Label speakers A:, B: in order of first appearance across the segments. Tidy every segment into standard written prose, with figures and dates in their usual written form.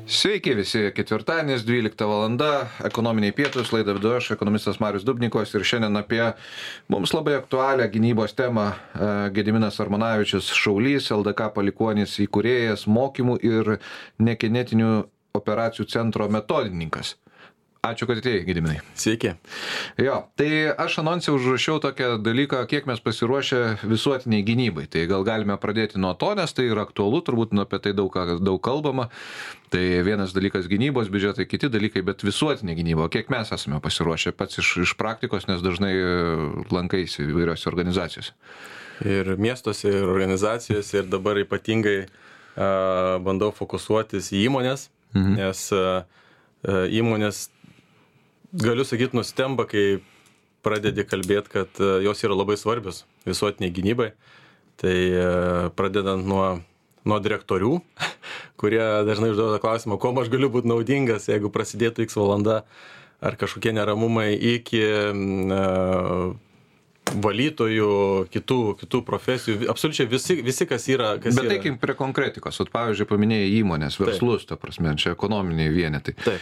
A: Sveiki visi, ketvirtadienis, 12 valanda, ekonominiai pietūs, laidą vedu aš, ekonomistas Marius Dubnikovas, ir šiandien apie mums labai aktualią gynybos temą Gediminas Armonavičius, šaulys, LDK palikuonis įkūrėjas, mokymų ir nekinetinių operacijų centro metodininkas. Ačiū, kad atėjai, Gediminai.
B: Sveiki.
A: Jo, tai aš anonse užrašiau tokią dalyką, kiek mes pasiruošę visuotiniai gynybai. Tai gal galime pradėti nuo to, nes tai yra aktualu, turbūt apie tai daug kalbama. Tai vienas dalykas gynybos biudžetai, kiti dalykai, bet visuotinė gynyba. Kiek mes esame pasiruošę pats iš praktikos, nes dažnai lankaisi įvairiose organizacijose.
B: Ir miestuose, ir organizacijose, ir dabar ypatingai bandau fokusuotis į įmonės, nes įmonės, galiu sakyti, nustemba, kai pradedi kalbėti, kad jos yra labai svarbios visuotiniai gynybai. Tai pradedant nuo direktorių, kurie dažnai užduoda klausimą, kuo aš galiu būti naudingas, jeigu prasidėtų X valanda, ar kažkokie neramumai, iki valytojų, kitų profesijų, absoliučiai visi kas yra.
A: Bet teikim prie konkretikos, pavyzdžiui, paminėjai įmonės, verslus, ta prasme, čia ekonominiai vienetai.
B: Taip.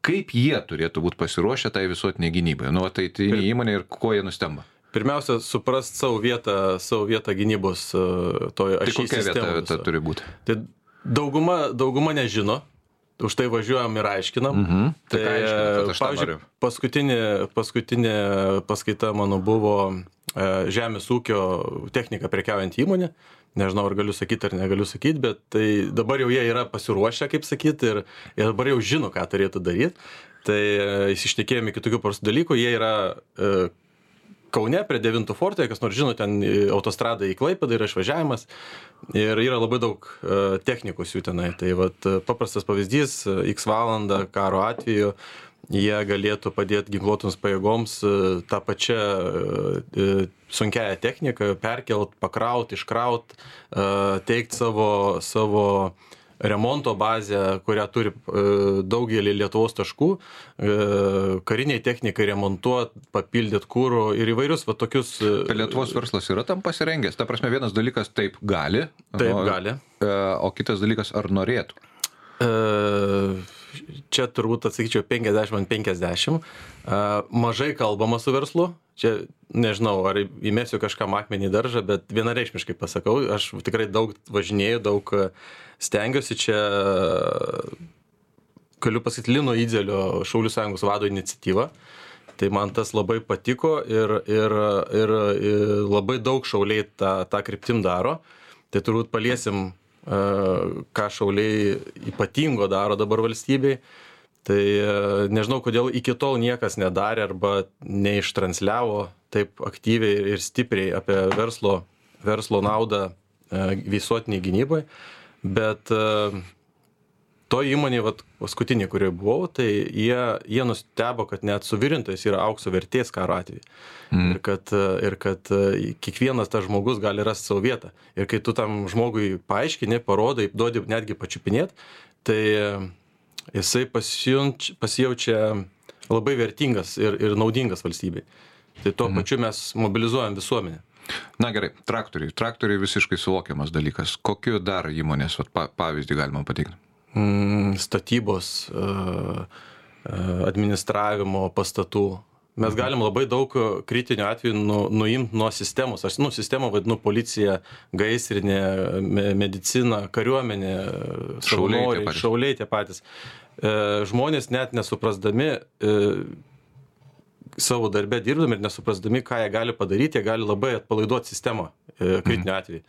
A: Kaip jie turėtų būti pasiruošę tai visuotiniai gynybai? Tai įmonė ir ko jie nustemba?
B: Pirmiausia, suprast savo vietą gynybos toje ašy sistemoje.
A: Tai kokia vieta turi būti?
B: Tai dauguma nežino. Už tai važiuojam ir aiškinam.
A: Tai
B: pavyzdžiui, paskutinė paskaita mano buvo žemės ūkio technika prekiaujant įmonė. Nežinau, ar galiu sakyti, ar negaliu sakyti, bet tai dabar jau jie yra pasiruošę, kaip sakyti, ir dabar jau žino, ką turėtų daryti. Tai įsišnekėjome kitokių paprastų dalykų. Jie yra Kaune prie 9 forto, kas nors žino, ten autostrada į Klaipėdą yra išvažiavimas ir yra labai daug technikos jų tenai. Tai vat, paprastas pavyzdys, X valandą karo atveju jie galėtų padėti ginkluotoms pajėgoms tą pačią sunkiąją techniką perkelt, pakraut, iškraut, teikt savo remonto bazę, kurią turi daugelį Lietuvos taškų, kariniai technikai remontuot, papildyt kūro ir įvairius va tokius.
A: Lietuvos verslas yra tam pasirengęs. Ta prasme, vienas dalykas taip gali.
B: Gali.
A: O kitas dalykas ar norėtų?
B: Čia turbūt atsakyčiau 50-50. Mažai kalbama su verslu. Čia nežinau, ar įmesiu kažkam akmenį į daržą, bet vienareikšmiškai pasakau, aš tikrai daug važinėjau, daug stengiuosi. Čia galiu pasakyti Lino Idzelio Šaulių sąjungos vado iniciatyva. Tai man tas labai patiko ir labai daug šauliai tą kryptim daro. Tai turbūt paliesim, ką šauliai ypatingo daro dabar valstybei. Tai nežinau, kodėl iki tol niekas nedarė arba neištransliavo taip aktyviai ir stipriai apie verslo naudą visuotiniai gynybai. Bet to įmonė, paskutinė, kurioje buvau, tai jie nustebo, kad net suvirintojas yra aukso vertės karo atveju. Ir kad kiekvienas tas žmogus gali rasti savo vietą. Ir kai tu tam žmogui paaiškini, parodai, duodi netgi pačiupinėt, tai jisai pasijaučia labai vertingas ir naudingas valstybei. Tai tuo pačiu mes mobilizuojam visuomenę.
A: Na gerai, traktoriai visiškai suvokiamas dalykas. Kokiu dar įmonės pavyzdį galima pateikti?
B: Statybos, administravimo pastatų. Mes galim labai daug kritinių atvejų nuimti nuo sistemos. Aš sistemą vadinu policija, gaisrinė, medicina, kariuomenė, šauliai tie patys. Žmonės net nesuprasdami savo darbę dirbdami ir nesuprasdami, ką jie gali padaryti, jie gali labai atpalaiduoti sistemą kritinių atvejų.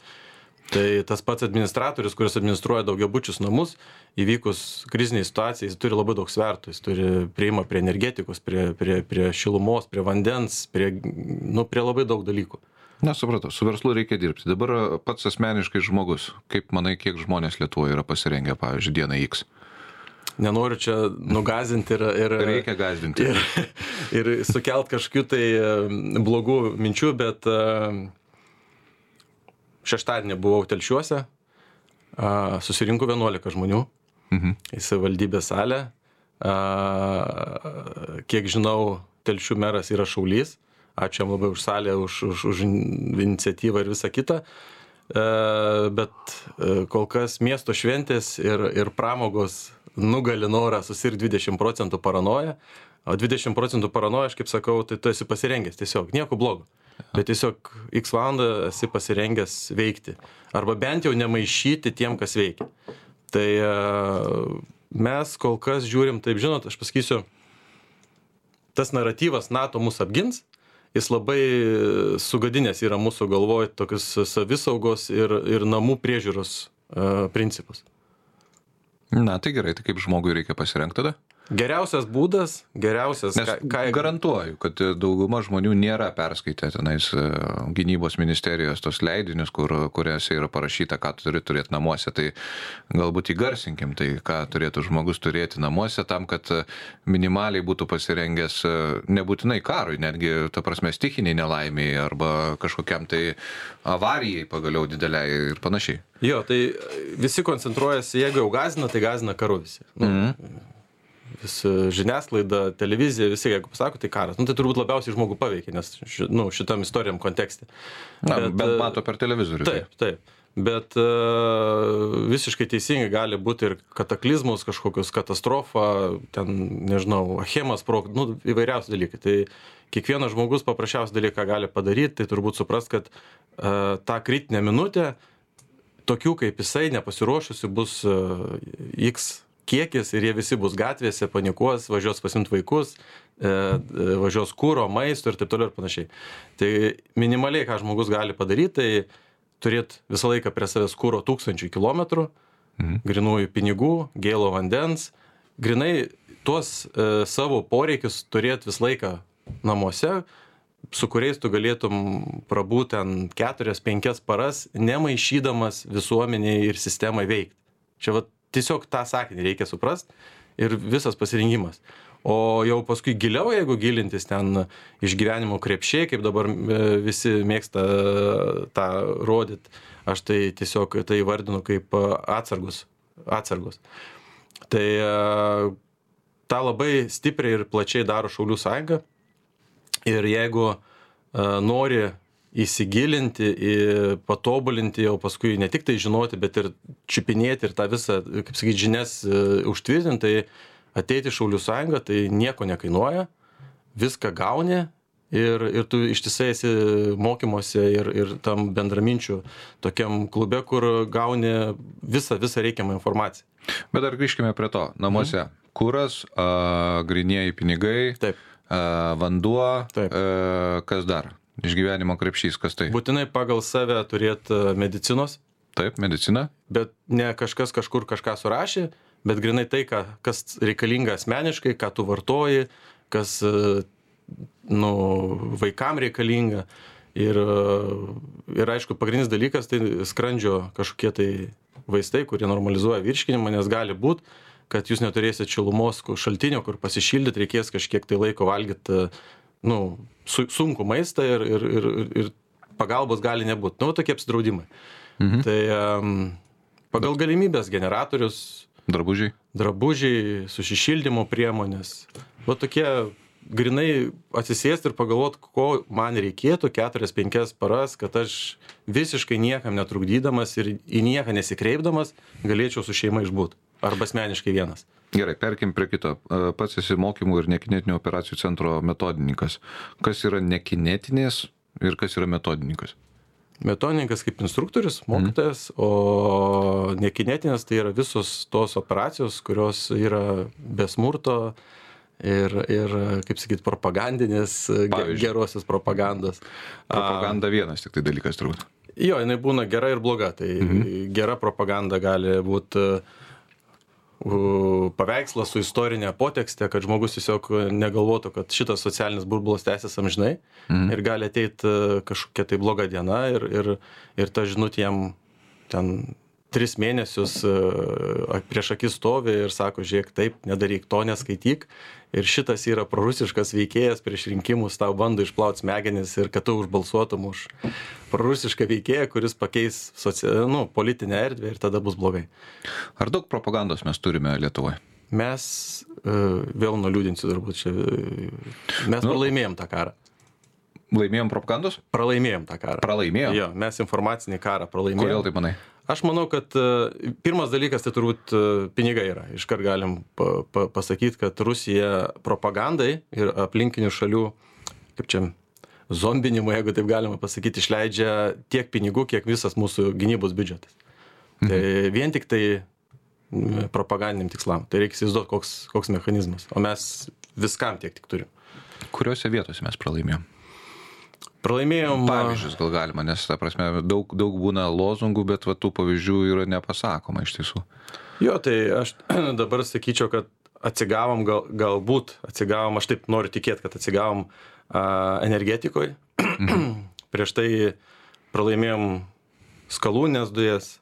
B: Tai tas pats administratorius, kuris administruoja daugiabučius namus, įvykus kriziniai situacijai, jis turi labai daug svertų. Jis turi prieimą prie energetikos, prie šilumos, prie vandens, prie labai daug dalykų.
A: Na, supratau, su verslu reikia dirbti. Dabar pats asmeniškai žmogus. Kaip manai, kiek žmonės Lietuvoje yra pasirengę, pavyzdžiui, dieną X?
B: Nenoriu čia nugazinti ir
A: reikia gazdinti.
B: Ir sukelt kažkokių tai blogų minčių, bet šeštadienį buvau Telšiuose, susirinko 11 žmonių į savivaldybės salę. Kiek žinau, Telšių meras yra šaulys. Ačiū jam labai už salę, už iniciatyvą ir visą kitą. bet kol kas miesto šventės ir pramogos nugali norą susirgti 20% paranoja, o 20% paranoja, aš kaip sakau, tai tu esi pasirengęs tiesiog, nieko blogo. Bet tiesiog x valandą esi pasirengęs veikti. Arba bent jau nemaišyti tiem, kas veikia. Tai mes kol kas žiūrim, taip žinot, aš pasakysiu, tas naratyvas NATO mus apgins, jis labai sugadinės yra mūsų galvoj tokius savisaugos ir namų priežiūros principus.
A: Na, tai gerai, tai kaip žmogui reikia pasirengti tada?
B: Geriausias būdas,
A: Nes garantuoju, kad dauguma žmonių nėra perskaitę tenais gynybos ministerijos tos leidinius, kuriuose yra parašyta, ką turi turėti namuose. Tai galbūt įgarsinkim, tai ką turėtų žmogus turėti namuose tam, kad minimaliai būtų pasirengęs nebūtinai karui, netgi, ta prasme, stichiniai nelaimiai arba kažkokiam tai avarijai pagaliau dideliai ir panašiai.
B: Jo, tai visi koncentruojasi, jeigu jau gazina, tai gazina karu visi. Žiniasklaida, televizija, visi, jeigu pasako, tai karas. Tai turbūt labiausiai žmogų paveikia, nes šitam istorijam kontekste.
A: Bet mato per televizorių.
B: Taip. Bet visiškai teisingai gali būti ir kataklizmus, kažkokius katastrofą, ten, nežinau, Achemos įvairiausi dalykai. Tai kiekvienas žmogus paprasčiausią dalyką gali padaryti, tai turbūt suprast, kad tą kritinę minutę, tokių kaip jisai nepasiruošusi bus X kiekis ir jie visi bus gatvėse, panikuos, važiuos pasimti vaikus, važiuos kūro, maisto ir taip toliau ir panašiai. Tai minimaliai, ką žmogus gali padaryti, tai turėti visą laiką prie savęs kūro 1000 kilometrų, grinųjų pinigų, gėlo vandens, grinai tuos savo poreikius turėti visą laiką namuose, su kuriais tu galėtum prabūti ten 4-5 paras, nemaišydamas visuomeniai ir sistemai veikti. Čia tiesiog tą sakinį reikia suprast ir visas pasirengimas. O jau paskui giliau, jeigu gilintis ten išgyvenimo krepšiai, kaip dabar visi mėgsta tą rodyti, aš tai tiesiog tai vardinu kaip atsargus. Tai tą labai stipriai ir plačiai daro Šaulių sąjunga. Ir jeigu nori įsigilinti, patobulinti, jau paskui ne tik tai žinoti, bet ir čiupinėti ir tą visą, kaip sakyti, žinias užtvirtinti, tai ateiti Šaulių sąjungą, tai nieko nekainuoja, viską gauni ir tu ištisai esi mokymuose ir tam bendraminčių tokiam klube, kur gauni visą reikiamą informaciją.
A: Bet dar grįžkime prie to. Namuose kuras, grynieji pinigai,
B: taip,
A: vanduo,
B: taip.
A: Kas dar? Išgyvenimo krepšys, kas tai?
B: Būtinai pagal save turėti medicinos.
A: Taip, medicina. Bet
B: ne kažkas kažkur kažką surašė, bet grinai tai, kas reikalinga asmeniškai, ką tu vartoji, kas vaikam reikalinga. Ir aišku, pagrindinis dalykas tai skrandžio kažkokie tai vaistai, kurie normalizuoja virškinimą, nes gali būt, kad jūs neturėsit šilumos šaltinio, kur pasišildyti, reikės kažkiek tai laiko valgyti sunku maistą ir pagalbos gali nebūti. Tokie apsidraudimai. Tai pagal galimybės generatorius, drabužiai, susišildymo priemonės. Tokie grinai atsisėsti ir pagalvoti, ko man reikėtų 4-5 paras, kad aš visiškai niekam netrukdydamas ir į nieką nesikreipdamas galėčiau su šeima išbūt. Arba asmeniškai vienas.
A: Gerai, perkim prie kito. Pats esi mokymų ir nekinetinių operacijų centro metodininkas. Kas yra nekinetinės ir kas yra metodininkas?
B: Metodininkas kaip instruktorius, mokytojas, o nekinetinės tai yra visos tos operacijos, kurios yra be smurto ir kaip sakyt, propagandinės, gerosios propagandos.
A: Propaganda vienas tik tai dalykas turbūt.
B: Jo, jinai būna gera ir bloga. Tai gera propaganda gali būti paveikslas su istorinė potekste, kad žmogus tiesiog negalvotų, kad šitas socialinis burbulas tęsis amžinai ir gali ateiti kažkokia tai bloga diena ir ta žinutė jam ten 3 mėnesius prieš akis stovi ir sako, žiūrėk, taip, nedaryk to, neskaityk. Ir šitas yra prorusiškas veikėjas prieš rinkimus, tau bando išplauti smegenis ir kad tu užbalsuotum už prorusišką veikėją, kuris pakeis politinę erdvę ir tada bus blogai.
A: Ar daug propagandos mes turime Lietuvoje?
B: Mes, vėl nuliūdinsiu turbūt čia, mes pralaimėjom tą karą.
A: Laimėjom propagandos?
B: Pralaimėjom tą karą.
A: Pralaimėjom?
B: Jo, mes informacinį karą pralaimėjom.
A: Kodėl taip manai?
B: Aš manau, kad pirmas dalykas tai turbūt pinigai yra. Iškart galim pasakyti, kad Rusija propagandai ir aplinkinių šalių, kaip čia, zombinimui, jeigu taip galima pasakyti, išleidžia tiek pinigų, kiek visas mūsų gynybos biudžetas. Tai vien tik tai propagandiniam tikslam. Tai reikia įsivaizduoti, koks mechanizmas. O mes viskam tiek tik turim.
A: Kuriuose vietose mes pralaimėjom?
B: Pralaimėjom.
A: Pavyzdžius gal galima, nes, ta prasme, daug būna lozungų, bet va, tų pavyzdžių yra nepasakoma iš tiesų.
B: Jo, tai aš dabar sakyčiau, kad atsigavom, galbūt atsigavom, aš taip noriu tikėti, kad atsigavom energetikoje. Prieš tai pralaimėjom skalūnės dujas.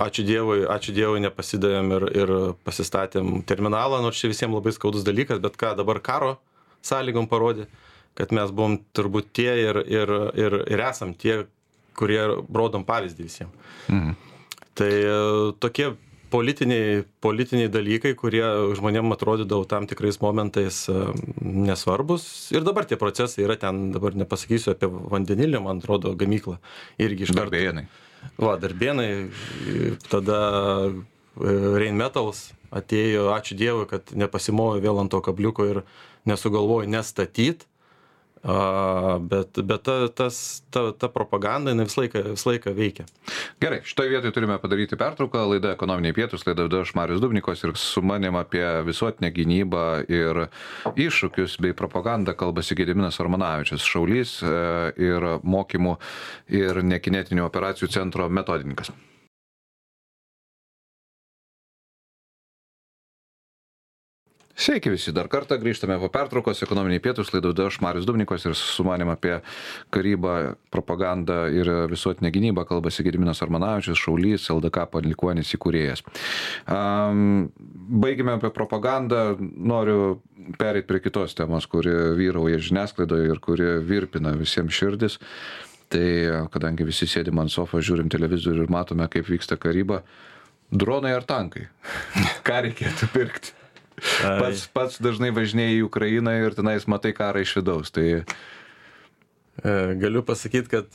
B: Ačiū Dievui nepasidavėm ir pasistatėm terminalą, nors čia visiems labai skaudus dalykas, bet ką dabar karo sąlygom parodė, kad mes buvom turbūt tie ir esam tie, kurie rodom pavyzdį visiems. Tai tokie politiniai dalykai, kurie žmonėm atrodydavo tam tikrais momentais nesvarbus. Ir dabar tie procesai yra ten, dabar nepasakysiu apie vandenilį, man atrodo, gamyklą. Irgi iš karto.
A: Darbėnai.
B: Va, Darbėnai, tada Rheinmetals atėjo, ačiū Dievui, kad nepasimojo vėl ant to kabliuko ir nesugalvojo nestatyt, bet ta propaganda visą laiką veikia.
A: Gerai, šitoje vietoje turime padaryti pertrauką. Laida Ekonominiai pietūs, laida vedu aš Marius Dubnikovas ir su manim apie visuotinę gynybą ir iššūkius bei propagandą kalbasi Gediminas Armonavičius, šaulys ir mokymų ir nekinetinių operacijų centro metodininkas. Sveiki visi, dar kartą grįžtame po pertraukos, Ekonominiai pietūs, laidą vedu aš Marius Dubnikovas ir su manim apie karybą, propagandą ir visuotinę gynybą kalbasi Gediminas Armonavičius, šaulys, LDK palikuonis įkūrėjas. Baigime apie propagandą, noriu pereiti prie kitos temos, kuri vyrauja žiniasklaidoje ir kuri virpina visiems širdis. Tai kadangi visi sėdim ant sofos, žiūrim televizorių ir matome, kaip vyksta karyba, dronai ar tankai? Ką reikėtų pirkti? Pats dažnai važinėjai į Ukrainą ir tenais matai karą iš vidaus. Tai...
B: Galiu pasakyti, kad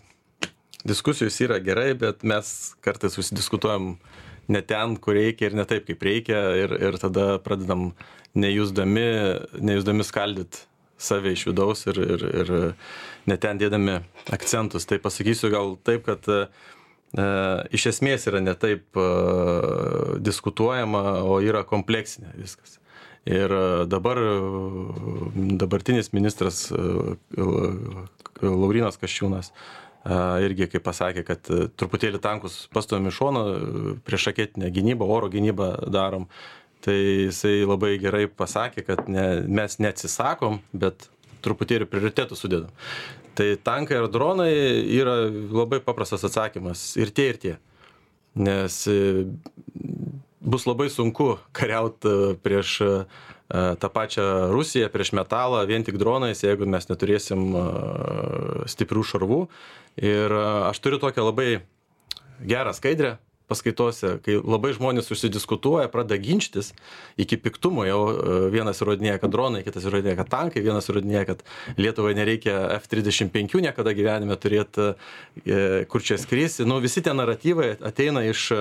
B: diskusijos yra gerai, bet mes kartais susidiskutuojam ne ten, kur reikia ir ne taip, kaip reikia ir tada pradedam nejusdami skaldyti save iš vidaus ir ne ten dėdami akcentus. Tai pasakysiu gal taip, kad iš esmės yra ne taip diskutuojama, o yra kompleksinė viskas. Ir dabartinis ministras Laurynas Kasčiūnas irgi kaip pasakė, kad truputėlį tankus pastumėm į šoną, priešraketinę gynybą, oro gynybą darom. Tai jisai labai gerai pasakė, kad mes neatsisakom, bet truputėlį prioritetų sudedam. Tai tankai ar dronai yra labai paprastas atsakymas. Ir tie. Nes bus labai sunku kariauti prieš tą pačią Rusiją, prieš metalą, vien tik dronais, jeigu mes neturėsim stiprių šarvų. Ir aš turiu tokią labai gerą skaidrę paskaitose, kai labai žmonės susidiskutuoja, pradeda ginčytis iki piktumo, jau vienas įrodinėja, kad dronai, kitas įrodinėja, kad tankai, vienas įrodinėja, kad Lietuvai nereikia F-35 niekada gyvenime turėti, kur čia skrisi. Visi tie naratyvai ateina iš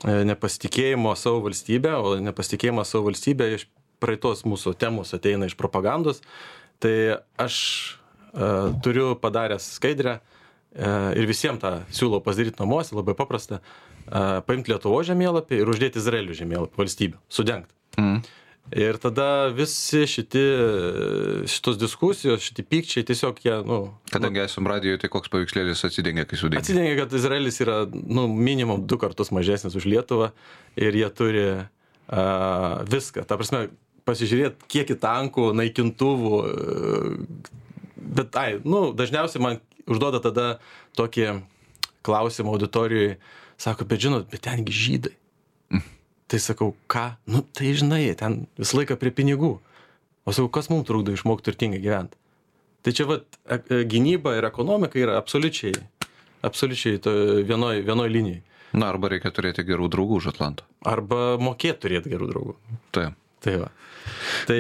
B: nepasitikėjimo savo valstybę, o nepasitikėjimas savo valstybę iš praeitos mūsų temos ateina iš propagandos. Tai aš turiu padaręs skaidrę ir visiems tą siūlau pasidaryti namuose, labai paprasta, paimti Lietuvos žemėlapį ir uždėti Izraelio žemėlapį valstybių, sudengt. Ir tada visi šitos diskusijos, šitie pykčiai tiesiog jie,
A: Kadangi esam radijoje, tai koks paveikslėlis atsidengia, kai sudengia?
B: Atsidengia, kad Izraelis yra, minimum 2 kartus mažesnis už Lietuvą ir jie turi viską. Ta prasme, pasižiūrėti, kiek į tankų, naikintuvų, bet, dažniausiai man užduoda tada tokį klausimą auditorijoje, sako, bet žinot, bet tengi žydai. Tai sakau, ką? Tai žinai, ten visą laiką prie pinigų. O sakau, kas mums trukdo išmokti turtingai gyventi? Tai čia gynyba ir ekonomika yra absoliučiai vienoj linijai.
A: Arba reikia turėti gerų draugų už Atlanto.
B: Arba mokėti turėti gerų draugų.
A: Taip.
B: Tai va. Tai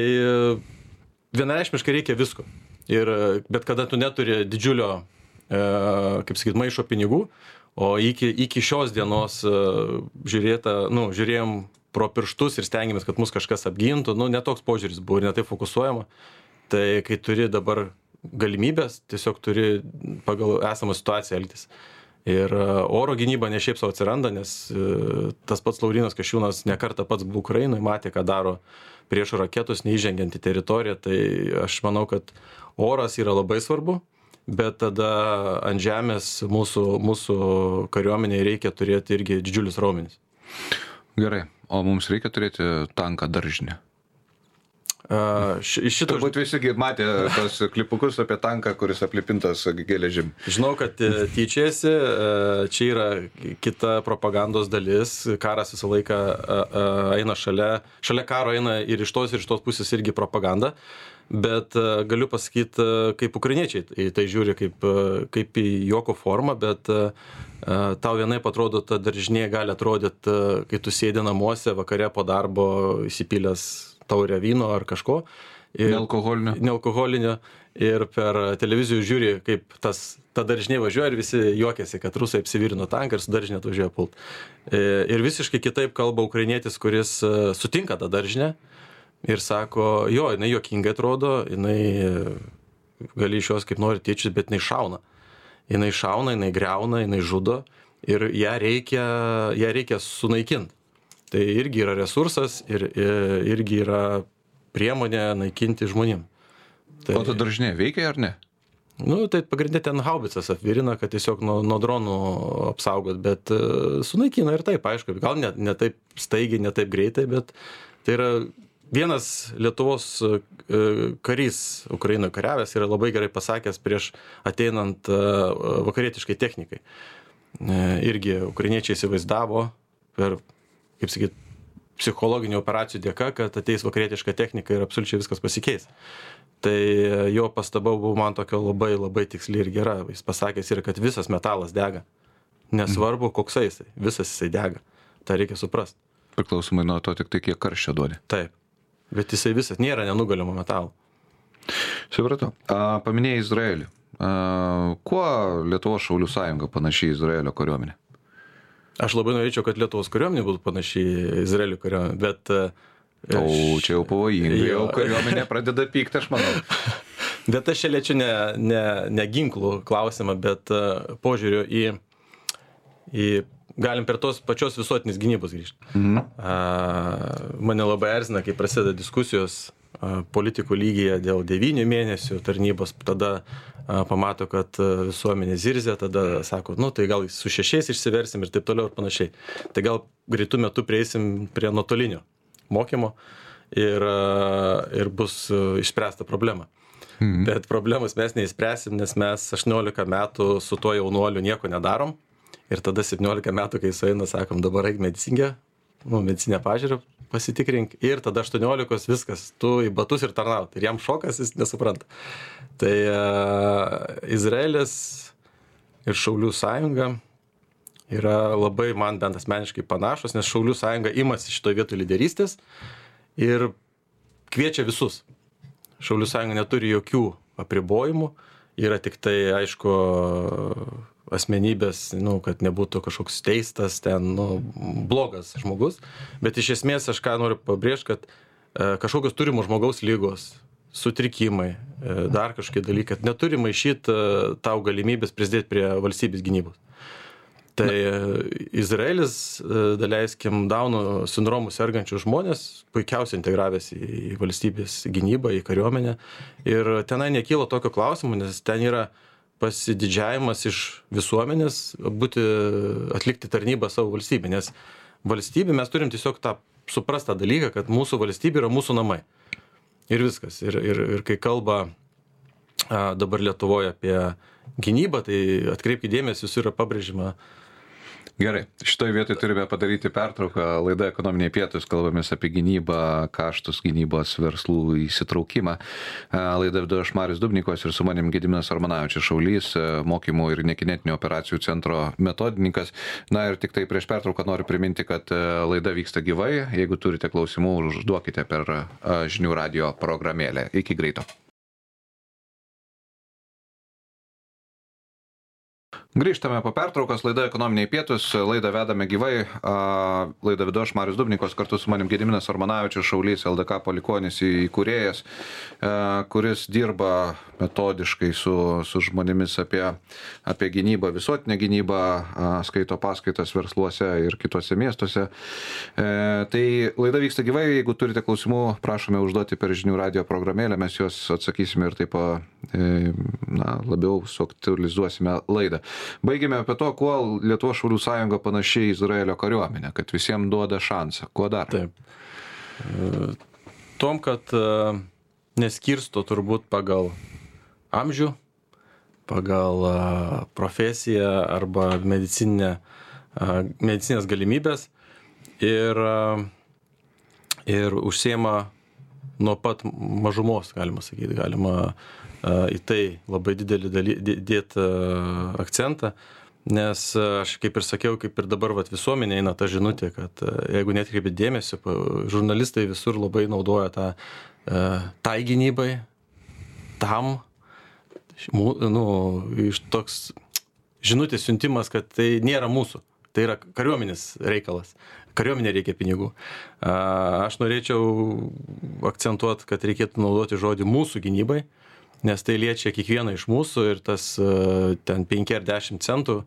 B: vienareikšmiškai reikia visko. Bet kada tu neturi didžiulio, kaip sakyt, maišo pinigų, o iki šios dienos žiūrėjom pro pirštus ir stengiamės, kad mus kažkas apgintų, netoks požiūris buvo ir netai fokusuojama. Tai kai turi dabar galimybės, tiesiog turi pagal esamą situaciją elgtis. Ir oro gynyba ne šiaip savo atsiranda, nes tas pats Laurynas Kasčiūnas nekartą pats buvo Ukrainoje, matė, ką daro priešo raketos, neįžengiant į teritoriją. Tai aš manau, kad oras yra labai svarbu, bet tada ant žemės mūsų kariuomeniai reikia turėti irgi didžiulius raumenis.
A: Gerai, o mums reikia turėti tanką daržinę? Turbūt visi matė tos klipukus apie tanką, kuris aplipintas geležim.
B: Žinau, kad tyčiasi, čia yra kita propagandos dalis, karas visą laiką eina šalia karo eina ir iš tos pusės irgi propaganda, bet galiu pasakyti, kaip ukrainiečiai į tai žiūri kaip į juoko formą, bet tau vienaip atrodo, ta daržinė gali atrodyti, kai tu sėdi namuose vakare po darbo įsipylęs taurę vyno ar kažko. Nealkoholinio. Ir per televizijų žiūri, kaip ta daržinė važiuoja ir visi juokiasi, kad rusai apsivirino tanką ir su daržinė atvažiuoja pult. Ir visiškai kitaip kalba ukrainietis, kuris sutinka tą daržinę ir sako, jo, jinai juokingai atrodo, jinai gali iš jos kaip nori tyčius, bet jinai šauna. Jinai šauna, jinai griauna, jinai žudo ir ją reikia sunaikinti. Tai irgi yra resursas ir irgi yra priemonė naikinti žmonėm.
A: O ta daržinė veikia ar ne?
B: Tai pagrindė ten haubicas apvirina, kad tiesiog nuo dronų apsaugot, bet sunaikina ir taip, aišku, gal ne taip staigiai, ne taip greitai, bet tai yra vienas Lietuvos karys Ukrainoje kariavęs yra labai gerai pasakęs prieš ateinant vakarietiškai technikai. Irgi ukrainiečiai įsivaizdavo per, kaip sakyt, psichologinių operacijų dėka, kad ateis vakarietiška technika ir absoliučiai viskas pasikeis. Tai jo pastaba buvo man tokio labai, labai tiksli ir gera. Jis pasakęs yra, kad visas metalas dega. Nesvarbu, koksai jisai, visas jisai dega. Tai reikia suprasti.
A: Priklausomai nuo to tik tai, kiek karščio duodi.
B: Taip. Bet jisai visas nėra nenugalimo metalų.
A: Supratau. Paminėjai Izraelį. Kuo Lietuvos šaulių sąjunga panaši į Izraelio kariuomenę?
B: Aš labai norėčiau, kad Lietuvos kariuomenė būtų panaši į Izraelio kariuomenę, bet...
A: čia jau pavojingai, jau kariuomenė pradeda pykti, aš manau.
B: Bet aš čia liečiu ne ginklų klausimą, bet požiūrio į galim per tos pačios visuotinės gynybos grįžti. Mane labai erzina, kai prasideda diskusijos politikų lygyje dėl 9 mėnesių tarnybos, tada pamato, kad visuomenė zirzia, tada sako, tai gal su 6 išsiversim ir taip toliau ir panašiai. Tai gal greitų metų prieisim prie nuotolinio mokymo ir bus išspręsta problema. Bet problemos mes neįspręsim, nes mes 18 metų su tuo jaunuoliu nieko nedarom ir tada 17 metų, kai sueina, sakom, dabar eik medicinę pažiūrą pasitikrink ir tada 18 viskas, tu į batus ir tarnaut. Ir jam šokas, jis nesupranta. Tai Izraelis ir Šaulių sąjunga yra labai man bent asmeniškai panašus, nes Šaulių sąjunga imasi šitoje vietoje lyderystės ir kviečia visus. Šaulių sąjunga neturi jokių apribojimų, yra tik tai, aišku, asmenybės, kad nebūtų kažkoks teistas, blogas žmogus, bet iš esmės aš ką noriu pabrėžti, kad kažkokios turimos žmogaus lygos, sutrikimai, dar kažkokie dalykai, neturi maišyti tau galimybės prisidėti prie valstybės gynybos. Tai Izraelis, daleiskim, Dauno sindromu sergančių žmonės, puikiausiai integravęs į valstybės gynybą, į kariuomenę, ir tenai nekyla tokio klausimo, nes ten yra pasididžiavimas iš visuomenės atlikti tarnybą savo valstybę, nes valstybė mes turim tiesiog suprastą dalyką, kad mūsų valstybė yra mūsų namai. Ir viskas. Ir kai kalba dabar Lietuvoje apie gynybą, tai atkreipkite dėmesį, jūs yra pabrėžima.
A: Gerai, šitoje vietoje turime padaryti pertrauką. Laida Ekonominiai pietūs, kalbamės apie gynybą, kaštus gynybos verslų įsitraukimą. Laida vedu aš Marius Dubnikovas ir su manim Gediminas Armanavičius, šaulys, mokymų ir nekinetinių operacijų centro metodininkas. Na ir tik tai prieš pertrauką noriu priminti, kad laida vyksta gyvai. Jeigu turite klausimų, užduokite per žinių radijo programėlę. Iki greito. Grįžtame po pertraukos, laida Ekonominiai pietus, laidą vedame gyvai, laidą vedu aš Marius Dubnikovas, kartu su manim Gediminas Armanavičius, šaulys, LDK palikuonis įkūrėjas, kuris dirba metodiškai su žmonėmis apie gynybą, visuotinę gynybą, skaito paskaitas versluose ir kitose miestuose. Tai laida vyksta gyvai, jeigu turite klausimų, prašome užduoti per žinių radio programėlę, mes juos atsakysime ir taip labiau suaktualizuosime laidą. Baigėme apie to, kuo Lietuvos Šaulių sąjunga panašiai Izraelio kariuomenė, kad visiems duoda šansą. Kuo dar?
B: Taip. Tom, kad neskirsto turbūt pagal amžių, pagal profesiją arba medicinės galimybės ir užsiema nuo pat mažumos, galima sakyti, galima į tai labai didelį dėti akcentą, nes aš kaip ir sakiau, kaip ir dabar visuomenė eina ta žinutė, kad jeigu netkreipėt dėmesio, žurnalistai visur labai naudoja tai gynybai, tam, iš toks žinutės siuntimas, kad tai nėra mūsų, tai yra kariuomenės reikalas. Kariuomenė reikia pinigų. Aš norėčiau akcentuoti, kad reikėtų naudoti žodį mūsų gynybai, nes tai liečia kiekvieną iš mūsų ir tas ten 5 ar 10 centų,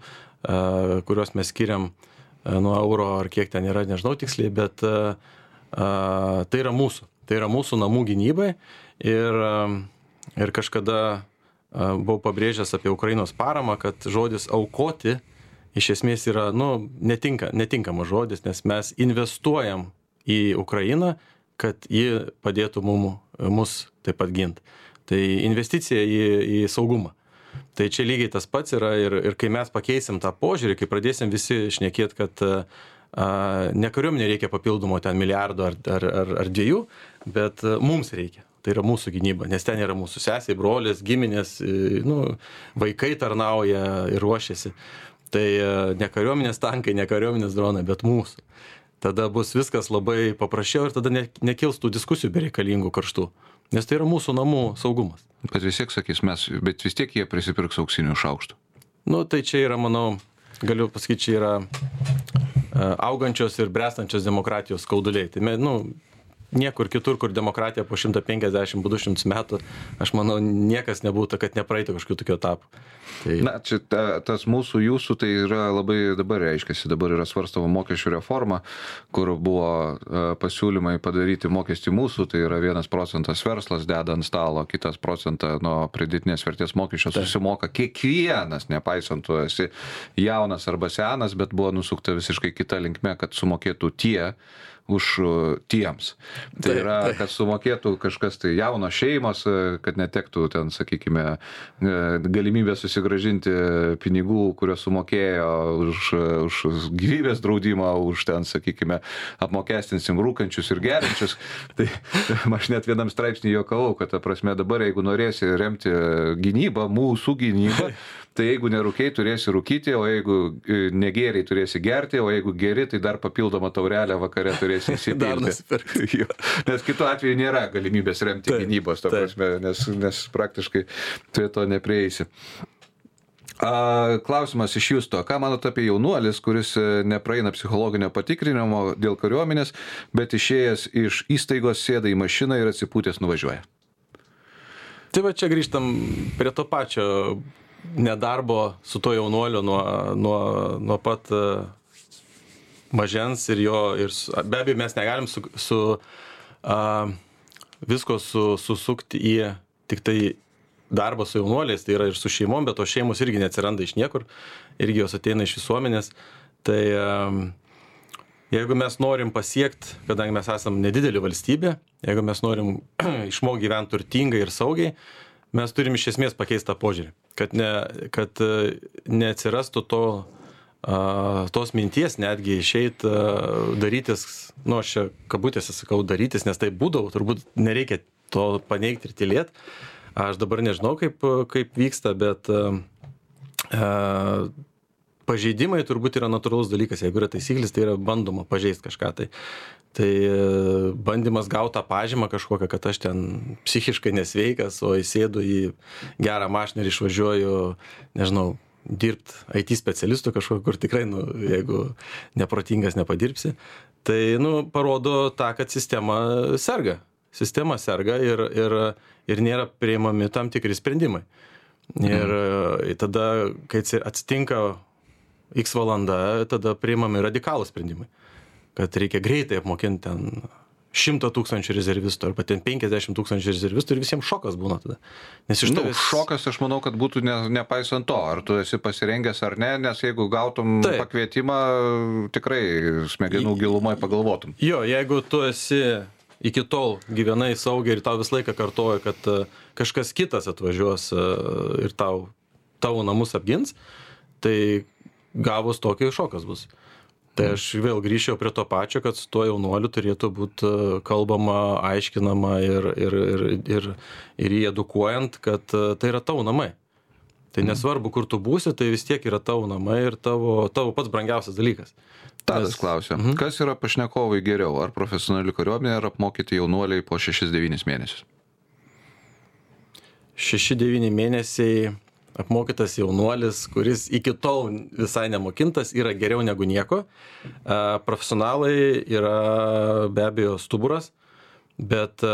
B: kuriuos mes skiriam nuo euro ar kiek ten yra, nežinau tiksliai, bet tai yra mūsų namų gynybai ir kažkada buvau pabrėžęs apie Ukrainos paramą, kad žodis aukoti iš esmės yra, netinkamas žodis, nes mes investuojam į Ukrainą, kad ji padėtų mus taip pat ginti. Tai investicija į saugumą. Tai čia lygiai tas pats yra ir kai mes pakeisim tą požiūrį, kai pradėsim visi šnekėti, kad ne kariuomenė reikia papildomo ten milijardo ar 2, bet mums reikia. Tai yra mūsų gynyba, nes ten yra mūsų sesiai, brolis, giminės, vaikai tarnauja ir ruošiasi. Tai ne kariuomenės tankai, ne kariuomenės dronai, bet mūsų. Tada bus viskas labai paprasčiau ir tada nekils tų diskusijų bereikalingų karštų. Nes tai yra mūsų namų saugumas.
A: Bet vis tiek sakys, bet vis tiek jie prisipirks auksinių šaukštų.
B: Tai čia yra, manau, galiu pasakyti, čia yra augančios ir bręstančios demokratijos skauduliai. Tai niekur kitur, kur demokratija po 150-200 metų, aš manau, niekas nebūtų, kad nepraeitų kažkokių tokių etapų.
A: Čia tas mūsų, jūsų, tai yra labai dabar reiškiasi, dabar yra svarstama mokesčių reforma, kur buvo pasiūlymai padaryti mokestį mūsų, tai yra 1% verslas deda ant stalo, 2% nuo pridėtinės vertės mokesčio susimoka kiekvienas, nepaisant tu esi jaunas arba senas, bet buvo nusukta visiškai kita linkme, kad sumokėtų tie už tiems. Tai yra, kad sumokėtų kažkas tai jaunos šeimos, kad netektų ten, sakykime, galimybę susigrąžinti pinigų, kurios sumokėjo už gyvybės draudimą, už ten, sakykime, apmokestinsim rūkančius ir geriančius. Tai aš net vienam straipsnį juokavau, kad ta prasme dabar, jeigu norėsi remti gynybą, mūsų gynybą, tai jeigu nerūkiai, turėsi rūkyti, o jeigu negėriai, turėsi gerti, o jeigu geri, tai dar papildomą taurelę vakare turėsi įsipilti. Nes kitu atveju nėra galimybės remti gynybos, ta prasme, nes praktiškai prie to neprieisi. Klausimas iš Justo. Ką manot apie jaunuolis, kuris nepraeina psichologinio patikrinimo dėl kariuomenės, bet išėjęs iš įstaigos sėda į mašiną ir atsipūtęs nuvažiuoja?
B: Tai va čia grįžtam prie to pačio nedarbo su to jaunuoliu nuo pat mažens ir be abejo mes negalim visko susukti į tik tai darbą su jaunuoliais, tai yra ir su šeimom, bet tos šeimos irgi neatsiranda iš niekur, irgi jos ateina iš visuomenės. Tai jeigu mes norim pasiekti, kadangi mes esam nedidelė valstybė, jeigu mes norim išmokti gyventi turtingai ir saugiai, mes turim iš esmės pakeisti tą požiūrį, kad neatsirastų tos minties netgi išeit darytis, aš čia kabutėse sakau darytis, nes tai būdavo, turbūt nereikia to paneigti ir tylėti. Aš dabar nežinau, kaip vyksta, bet pažeidimai turbūt yra natūralus dalykas. Jeigu yra taisyklės, tai yra bandoma pažeisti kažką. Tai bandymas gauti tą pažymą kažkokią, kad aš ten psichiškai nesveikas, o įsėdu į gerą mašiną ir išvažiuoju, nežinau, dirbti IT specialistų kažkur, kur tikrai, nu, jeigu neprotingas nepadirbsi. Tai, nu, parodo tą, kad sistema serga. Sistema serga ir nėra priimami tam tikri sprendimai. Ir tada, kai atsitinka X valanda, tada priimami radikalūs sprendimai. Kad reikia greitai apmokinti ten 100 000 rezervistų arba ten 50 000 rezervistų ir visiems šokas būna tada. Nes iš tavęs...
A: Šokas, aš manau, kad būtų nepaisant to, ar tu esi pasirengęs ar ne, nes jeigu gautum pakvietimą, tikrai smegenų gilumoje pagalvotum.
B: Jo, jeigu tu esi iki tol gyvenai saugiai ir tau visą laiką kartoja, kad kažkas kitas atvažiuos ir tavo namus apgins, tai gavus tokį šokas bus. Tai aš vėl grįžčiau prie to pačio, kad su tuo jaunuoliu turėtų būti kalbama, aiškinama ir jį edukuojant, kad tai yra tavo namai. Tai nesvarbu, kur tu būsi, tai vis tiek yra tavo namai ir tavo pats brangiausias dalykas.
A: Tadas klausia, kas yra pašnekovai geriau, ar profesionali kariuomenė, ar apmokyti jaunuoliai po 6-9 mėnesius?
B: 6-9 mėnesiai apmokytas jaunuolis, kuris iki tol visai nemokintas, yra geriau negu nieko. Profesionalai yra be abejo stuburas, bet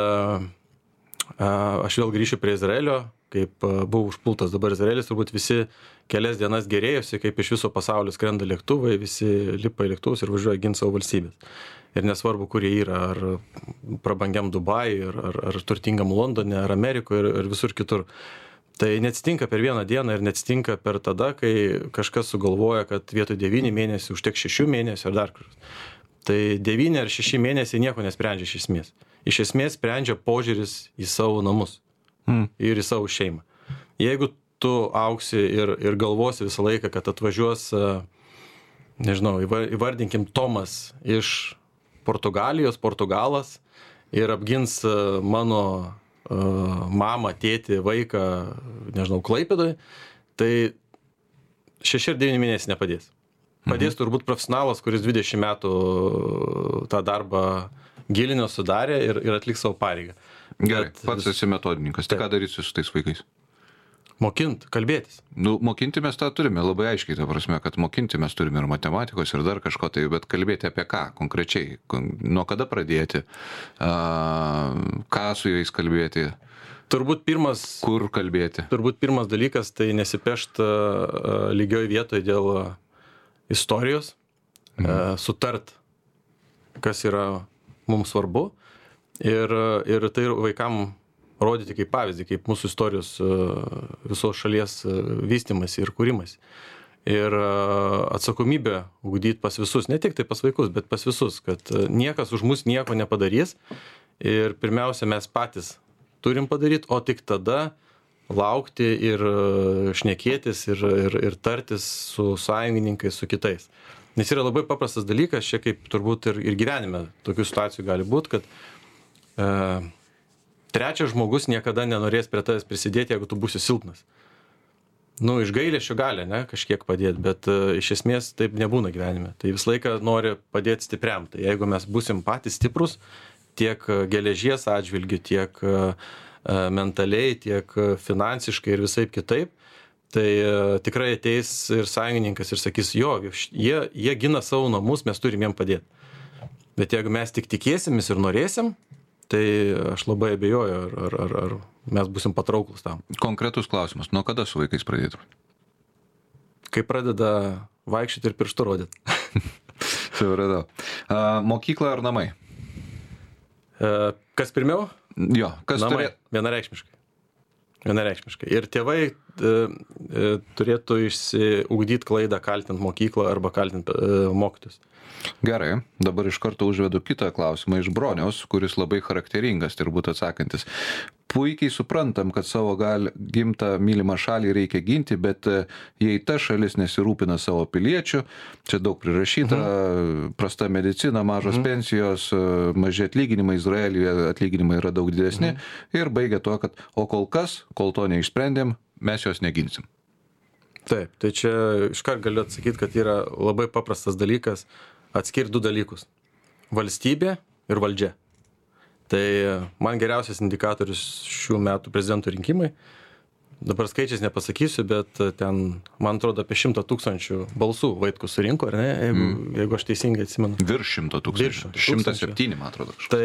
B: aš vėl grįšiu prie Izraelio, kaip buvo užpultas dabar Izraelis, turbūt visi kelias dienas gerėjosi, kaip iš viso pasaulio skrenda lėktuvai, visi lipa į lėktuvus ir važiuoja ginti savo valstybės. Ir nesvarbu, kur jie yra, ar prabangiam Dubajui, ar turtingam Londone, ar Amerikoje, ir visur kitur. Tai neatsitinka per vieną dieną ir neatsitinka per tada, kai kažkas sugalvoja, kad vietoj 9 mėnesių užteks 6 mėnesių ar dar kažkas. Tai 9 ar 6 mėnesiai nieko nesprendžia iš esmės. Iš esmės sprendžia požiūris į savo namus ir į savo šeimą. Jeigu tu auksi ir galvosi visą laiką, kad atvažiuos, nežinau, įvardinkim Tomas iš Portugalijos, Portugalas ir apgins mano mamą, tėtį, vaiką, nežinau, Klaipėdoje, tai 6 ar 9 mėnesiai nepadės. Padės turbūt profesionalas, kuris 20 metų tą darbą gilinio sudarė ir atliks savo pareigą.
A: Gerai, pats esi metodininkas. Tai ką darysi su tais vaikais?
B: Mokint, kalbėtis.
A: Nu, mokinti mes tą turime labai aiškiai, ta prasme, kad mokinti mes turime ir matematikos, ir dar kažko tai, bet kalbėti apie ką konkrečiai, nuo kada pradėti, ką su jais kalbėti,
B: turbūt
A: kur kalbėti.
B: Turbūt pirmas dalykas tai nesipešt lygioj vietoje dėl istorijos, sutart, kas yra mums svarbu ir tai vaikam rodyti kaip pavyzdį, kaip mūsų istorijos visos šalies vystymas ir kūrimas. Ir atsakomybę ugdyti pas visus, ne tik tai pas vaikus, bet pas visus, kad niekas už mus nieko nepadarys ir pirmiausia mes patys turim padaryti, o tik tada laukti ir šnekėtis ir tartis su sąjungininkais, su kitais. Nes yra labai paprastas dalykas, čia kaip turbūt ir gyvenime tokių situacijų gali būti, kad trečias žmogus niekada nenorės prie tavęs prisidėti, jeigu tu būsi silpnas. Nu, iš gailesčio gali, ne, kažkiek padėti, bet iš esmės taip nebūna gyvenime. Tai visą laiką nori padėti stipriam. Tai jeigu mes būsim patys stiprus, tiek geležies atžvilgių, tiek mentaliai, tiek finansiškai ir visaip kitaip, tai tikrai ateis ir sąjungininkas ir sakys, jo, jie gina savo namus, mes turim jiem padėti. Bet jeigu mes tik tikėsimės ir norėsim, tai aš labai abejoju, ar mes būsim patrauklus tam.
A: Konkretus klausimas, nuo kada su vaikais pradėtum?
B: Kai pradeda vaikščioti ir pirštu rodyti.
A: Supratau. Mokykla ar namai?
B: Kas pirmiau?
A: Jo, kas
B: namai. Vienareikšmiškai. Ir tėvai turėtų išsiugdyti klaidą kaltinti mokyklą arba kaltinti mokytojus.
A: Gerai, dabar iš karto užvedu kitą klausimą iš Broniaus, kuris labai charakteringas, turbūt atsakantis. Puikiai suprantam, kad savo gimtą mylimą šalį reikia ginti, bet jei ta šalis nesirūpina savo piliečių, čia daug prirašyta, prasta medicina, mažos pensijos, maži atlyginimai, Izraelyje atlyginimai yra daug didesni ir baigia tuo, kad o kol to neišsprendėm, mes jos neginsim.
B: Taip, tai čia iškart galiu atsakyti, kad yra labai paprastas dalykas atskirti du dalykus - valstybė ir valdžia. Tai man geriausias indikatorius šių metų prezidento rinkimai dabar skaičiais nepasakysiu, bet ten, man atrodo, apie 100 000 balsų Vaitkus surinko, ar ne, jeigu aš teisingai atsimenu.
A: Virš 100 000. 107, man atrodo.
B: Tai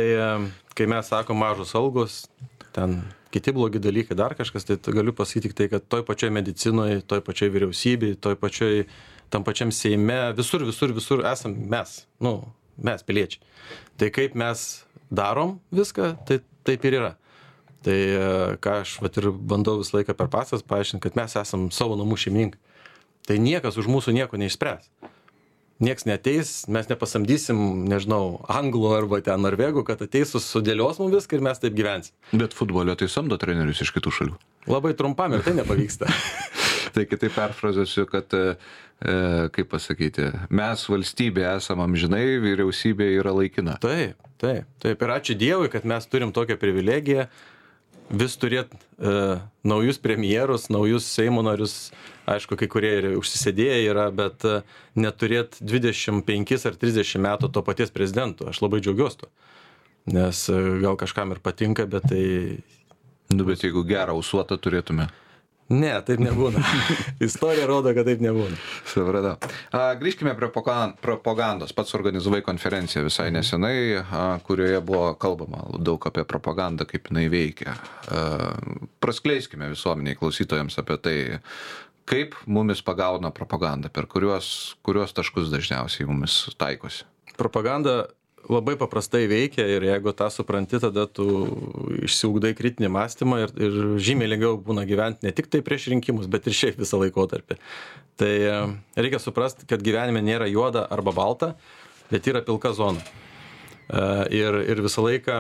B: kai mes sakom mažos algos, ten kiti blogi dalykai, dar kažkas, tai galiu pasakyti tik tai, kad toj pačioj medicinoje, toj pačioj vyriausybėje, toj pačioj, tam pačiam Seime, visur esam mes, mes piliečiai. Tai kaip mes darom viską, tai taip ir yra. Tai ką aš ir bandau visą laiką per pasas paaiškinti, kad mes esam savo namų šeimininkai. Tai niekas už mūsų nieko neišspręs. Nieks neateis, mes nepasamdysim, nežinau, anglų arba ten norvegų, kad ateis sudėlios mums viską ir mes taip gyvensim.
A: Bet futbolio tai samdo trenerius iš kitų šalių.
B: Labai trumpam ir tai nepavyksta.
A: Tai kitaip perfrazuosiu, kad, kaip pasakyti, mes valstybė esam amžinai, vyriausybė yra laikina.
B: Taip. Ir ačiū Dievui, kad mes turim tokią privilegiją vis turėt naujus premjerus, naujus Seimo narius, aišku, kai kurie ir užsisėdėję yra, bet neturėt 25 ar 30 metų to paties prezidento. Aš labai džiaugiuosi tuo, nes gal kažkam ir patinka, bet tai...
A: Bet jeigu gerą ausuotą turėtume.
B: Ne, taip nebūna. Istorija rodo, kad taip nebūna.
A: Supratau. Grįžkime prie propagandos. Pats organizavai konferenciją visai nesenai, kurioje buvo kalbama daug apie propagandą, kaip jinai veikia. Praskleiskime visuomeniai klausytojams apie tai, kaip mumis pagauna propaganda, per kuriuos taškus dažniausiai mumis taikosi.
B: Propaganda labai paprastai veikia ir jeigu tą supranti, tada tu išsiugdai kritinį mąstymą ir žymiai lengviau būna gyventi ne tik tai prieš rinkimus, bet ir šiaip visą laikotarpį. Tai reikia suprasti, kad gyvenime nėra juoda arba balta, bet yra pilka zona. Ir visą laiką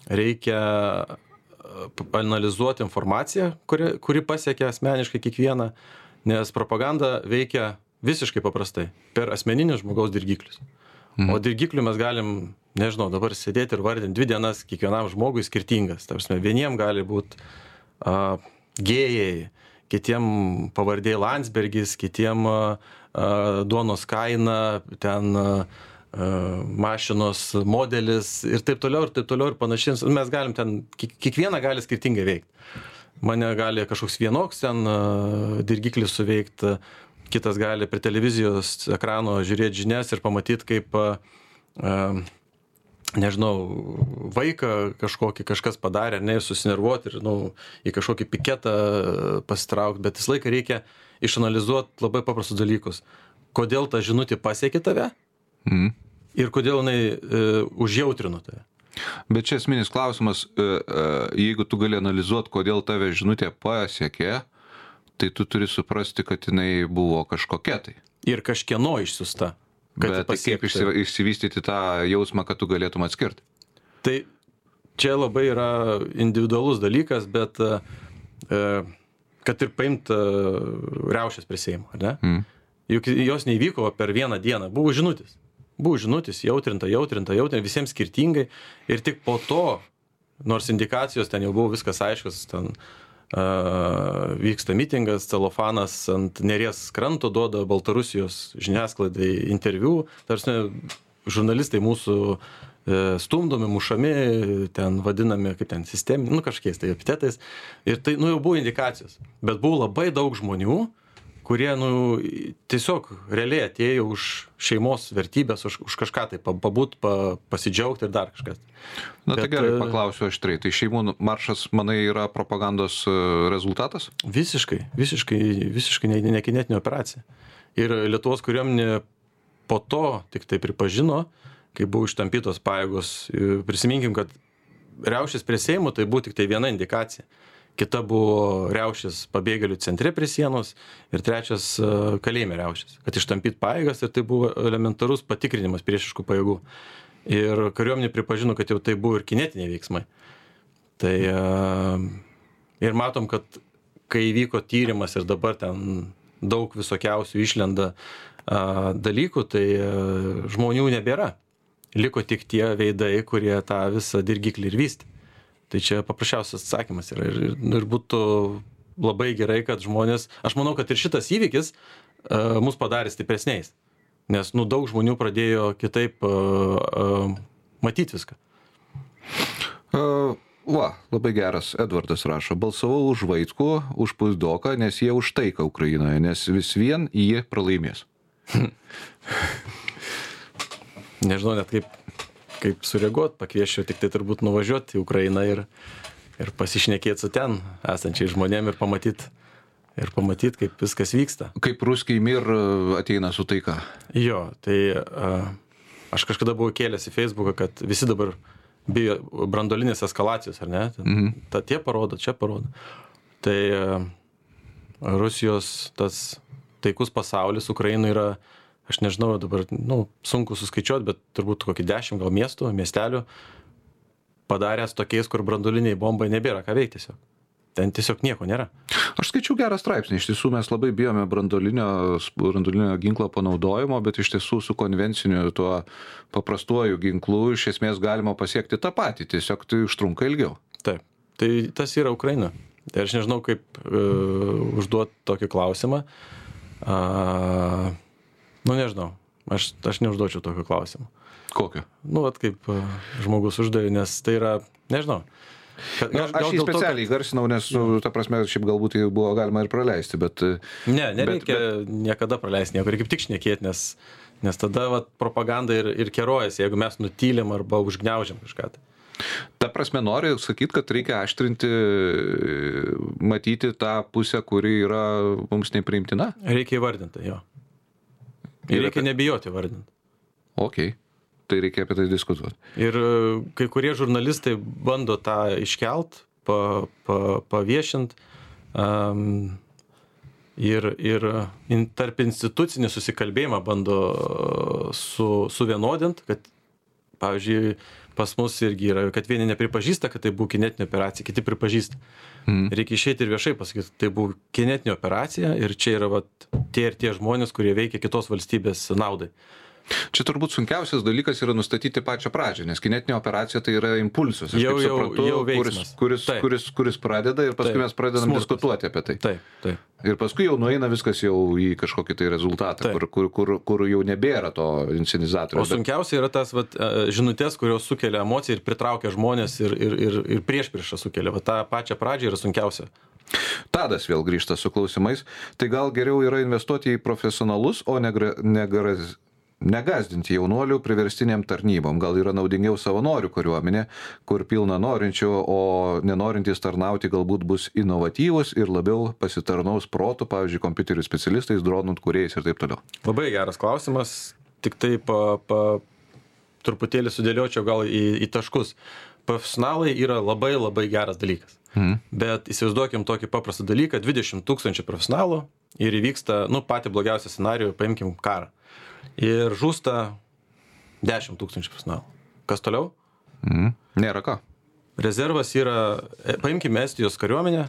B: reikia analizuoti informaciją, kuri pasiekia asmeniškai kiekvieną, nes propaganda veikia visiškai paprastai per asmeninius žmogaus dirgiklius. O dirgiklių mes galim, nežinau, dabar sėdėti ir vardinti 2 dienas kiekvienam žmogui skirtingas. Tarsi, vieniem gali būti gėjai, kitiem pavardė Landsbergis, kitiem duonos kaina, ten mašinos modelis ir taip toliau ir panašiai. Mes galim ten, kiekvieną gali skirtingai veikti. Mane gali kažkoks vienoks ten dirgiklis suveikti, kitas gali prie televizijos ekrano žiūrėti žinias ir pamatyti, kaip, nežinau, vaiką kažkas padarė, ir susinervuoti ir į kažkokį piketą pasitraukti, bet visą laiką reikia išanalizuoti labai paprastus dalykus. Kodėl ta žinutė pasiekė tave ir kodėl jinai užjautrino tave.
A: Bet čia esminis klausimas, jeigu tu gali analizuoti, kodėl tave žinutė pasiekė, tai tu turi suprasti, kad jinai buvo kažkokia tai.
B: Ir kažkieno išsiusta.
A: Bet kaip išsivystyti tą jausmą, kad tu galėtum atskirti?
B: Tai čia labai yra individualus dalykas, bet kad ir paimt riaušės prie Seimo, ar ne? Juk jos neįvyko per vieną dieną, buvo žinutės, jautrinta, visiems skirtingai ir tik po to, nors indikacijos ten jau buvo viskas aiškus, ten vyksta mitingas, celofanas ant Neries kranto duoda Baltarusijos žiniasklaidai interviu, tarsi žurnalistai mūsų stumdomi, mušami, ten vadinami kaip ten sistemi, kažkokiais tai epitetais. Ir tai jau buvo indikacijos. Bet buvo labai daug žmonių, kurie tiesiog realiai atėjo už šeimos vertybės, už kažką tai pabūt, pasidžiaugti ir dar kažkas.
A: Tai gerai, paklausiu aštriai. Tai šeimų maršas, manai, yra propagandos rezultatas?
B: Visiškai nekinetinė operacija. Ir Lietuvos kariuomenė po to tik tai pripažino, kai buvo ištampytos pajėgos. Prisiminkim, kad riaušės prie Seimo tai buvo tik tai viena indikacija. Kita buvo riaušės pabėgėlių centre prie sienos ir trečias kalėjime riaušės, kad ištampyt pajėgas ir tai buvo elementarus patikrinimas priešiškų pajėgų. Ir kariuomenė pripažino, kad jau tai buvo ir kinetiniai veiksmai. Tai ir matom, kad kai įvyko tyrimas ir dabar ten daug visokiausių išlenda dalykų, tai žmonių nebėra. Liko tik tie veidai, kurie tą visą dirgiklį ir vystė. Tai čia paprasčiausias atsakymas yra ir būtų labai gerai, kad žmonės, aš manau, kad ir šitas įvykis mus padarė stipresniais, nes daug žmonių pradėjo kitaip matyti viską.
A: Va, labai geras. Edvardas rašo, balsavau už Vaitkų, už Puizdoką, nes jie už taiką Ukrainoje, nes vis vien jie pralaimės.
B: Nežinau net kaip sureaguot, pakvieščiau tik tai turbūt nuvažiuoti į Ukrainą ir pasišnekėti su ten esančiai žmonėm ir pamatyt, kaip viskas vyksta.
A: Kaip ruskiai mir ateina su taika.
B: Jo, tai aš kažkada buvau kėlęs į Facebooką, kad visi dabar bijo branduolinės eskalacijos, ar ne? Ta tie parodo, čia parodo. Tai Rusijos tas taikus pasaulis Ukrainai yra, aš nežinau, dabar sunku suskaičiuoti, bet turbūt kokį 10 gal miestų, miestelių padaręs tokiais, kur branduoliniai bombai nebėra ką veikti tiesiog. Ten tiesiog nieko nėra.
A: Aš skaičiau gerą straipsnį, iš tiesų mes labai bijome branduolinio ginklo panaudojimo, bet iš tiesų su konvenciniu tuo paprastuoju ginklu iš esmės galima pasiekti tą patį, tiesiog tai užtrunka ilgiau.
B: Taip, tai tas yra Ukraina. Tai aš nežinau, kaip užduoti tokį klausimą. Nežinau, aš neužduočiau tokio klausimo.
A: Kokio?
B: Vat kaip žmogus uždavė, nes tai yra, nežinau.
A: Aš jį specialiai garsinau, nes, ta prasme, šiaip galbūt tai buvo galima ir praleisti, bet...
B: Nereikia niekada praleisti nieko, reikia kaip tik šnekėti, nes tada propaganda ir kerojasi, jeigu mes nutylim arba užgniaužiam kažką.
A: Ta prasme, nori sakyti, kad reikia aštrinti, matyti tą pusę, kuri yra mums nepriimtina?
B: Reikia įvardinti, jo. Ir reikia nebijoti vardinti.
A: Ok, tai reikia apie tai diskutuoti.
B: Ir kai kurie žurnalistai bando tą iškelt, paviešint ir tarp institucinį susikalbėjimą bando suvienodint, kad, pavyzdžiui, pas mus irgi yra, kad vieni nepripažįsta, kad tai buvo kinetinė operacija, kiti pripažįsta. Reikia išeiti ir viešai pasakyti, tai buvo kinetinė operacija ir čia yra tie ir tie žmonės, kurie veikia kitos valstybės naudai.
A: Čia turbūt sunkiausias dalykas yra nustatyti pačią pradžią, nes kinetinė operacija tai yra impulsas. Aš kaip suprantu, kuris pradeda ir paskui mes pradedam diskutuoti apie tai.
B: Taip.
A: Ir paskui jau nueina viskas jau į kažkokį tai rezultatą, kur jau nebėra to inscenizatoriaus.
B: O sunkiausia yra tas žinutės, kurios sukelia emociją ir pritraukia žmonės ir priešpriešą sukelia. Ta pačią pradžią yra sunkiausia.
A: Tadas vėl grįžta su klausimais. Tai gal geriau yra investuoti į profesionalus, o negazdinti jaunuolių priverstiniam tarnybom. Gal yra naudingiau savanorių kariuomenė, kur pilna norinčių, o nenorintys tarnauti galbūt bus inovatyvus ir labiau pasitarnaus protų, pavyzdžiui, kompiuterių specialistais, dronų kūrėjais ir taip toliau.
B: Labai geras klausimas, tik tai truputėlį sudėliočiau gal į taškus. Profesionalai yra labai labai geras dalykas. Bet įsivaizduokim tokį paprastą dalyką, 20 000 profesionalų ir įvyksta, patį blogiausią scenarijų, paimkim karą. Ir žūsta 10 000 profesionalų. Kas toliau?
A: Nėra ką.
B: Rezervas yra, paimkime Estijos kariuomenę.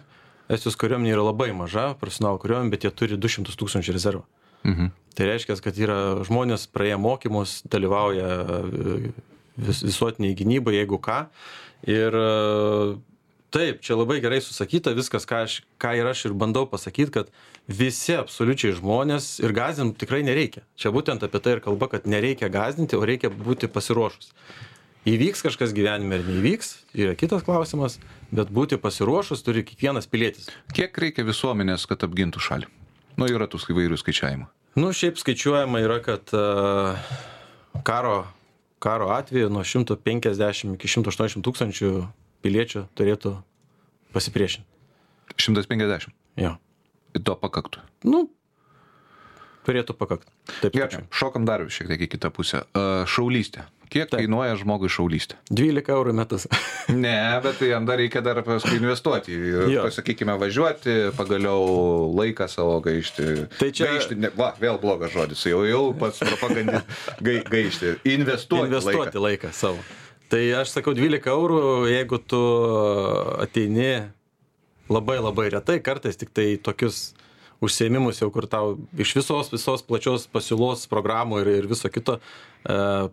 B: Estijos kariuomenė yra labai maža profesionalų kariuomenė, bet jie turi 200 000 rezervą. Tai reiškia, kad yra žmonės praėję mokymus, dalyvauja visuotiniai gynybai, jeigu ką. Ir taip, čia labai gerai susakyta viskas, ką ir aš ir bandau pasakyti, kad visi absoliučiai žmonės ir gąsdinti tikrai nereikia. Čia būtent apie tai ir kalba, kad nereikia gąsdinti, o reikia būti pasiruošus. Įvyks kažkas gyvenime ar neįvyks, yra kitas klausimas, bet būti pasiruošus turi kiekvienas pilietis.
A: Kiek reikia visuomenės, kad apgintų šalį? Yra tų įvairių skaičiavimų.
B: Šiaip skaičiuojama yra, kad karo atveju nuo 150 iki 180 tūkstančių piliečių turėtų pasipriešinti.
A: 150?
B: Jo.
A: Ir to pakaktų?
B: Turėtų pakakti. Taip.
A: Gerai, šokam dar šiek tiek į kitą pusę. Šaulystė. Kiek kainuoja žmogui šaulystė?
B: 12 eurų metus.
A: Ne, bet jam dar reikia paskui investuoti. Pasakykime, važiuoti, pagaliau laiką savo gaišti.
B: Tai čia...
A: Vėl blogas žodis. Jau pats propagandis gaišti. Investuoti
B: laiką savo. Tai aš sakau 12 eurų, jeigu tu ateini labai labai retai, kartais tik tai tokius užsiėmimus jau, kur tau iš visos plačios pasiūlos programų ir viso kito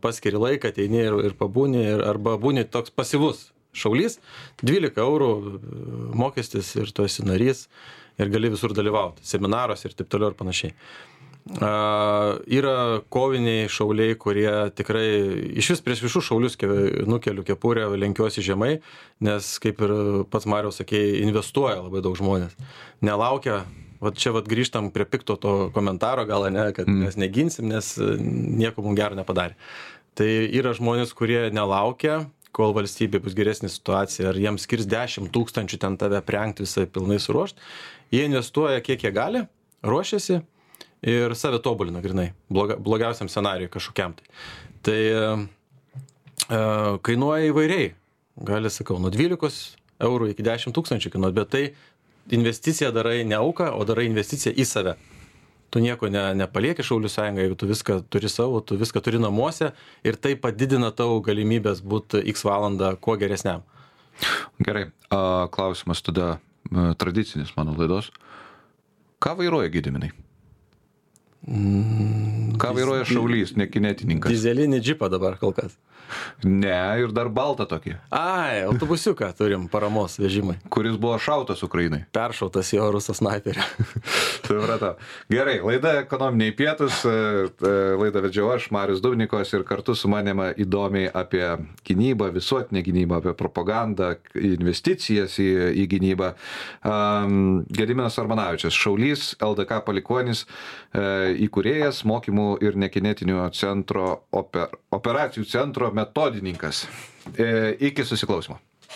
B: paskiri laiką, ateini ir pabūni, arba būni toks pasyvus šaulys, 12 eurų mokestis ir tu esi narys ir gali visur dalyvauti, seminaruose ir taip toliau ir panašiai. Yra koviniai šauliai, kurie tikrai iš vis prieš visus šaulius nukeliu kepurę, lenkiuosi žemai, nes kaip ir pats Mariaus sakėjai, investuoja labai daug žmonės. Nelaukia, čia grįžtam prie pikto to komentaro, gal ne, kad mes neginsim, nes nieko mums gero nepadarė. Tai yra žmonės, kurie nelaukia, kol valstybė bus geresnė situacija, ar jiems skirs 10 000 ten tave prengti visai pilnai suruošti. Jie investuoja kiek jie gali, ruošiasi ir save tobulina grinai, blogiausiam scenarijui kažkokiam. Tai kainuoja įvairiai, gali, sakau, nuo 12 eurų iki 10 000 kainuot, bet tai investiciją darai ne auką, o darai investiciją į save. Tu nieko nepalieki Šaulių sąjungai, jeigu tu viską turi savo, tu viską turi namuose ir tai padidina tavo galimybės būti x valandą kuo geresniam.
A: Gerai, klausimas tada tradicinis mano laidos. Ką vairuoja Gediminai? Ką vairuoja šaulys, ne kinetininkas?
B: Dizelinį džipą dabar kol kas.
A: Ne, ir dar baltą tokį.
B: Autobusiuką turim paramos vežimai.
A: Kuris buvo šautas Ukrainai.
B: Peršautas jo ruso snaiperio.
A: Supratau. Gerai, laida Ekonominiai pietūs, laidą vedžiau aš, Marius Dubnikovas, ir kartu su manimi įdomiai apie gynybą, visuotinę gynybą, apie propagandą, investicijas į gynybą. Gediminas Armanavičius, šaulys, LDK palikuonis, įkūrėjas, mokymų ir nekinetinių centro operacijų centro metodininkas. Iki susiklausimo.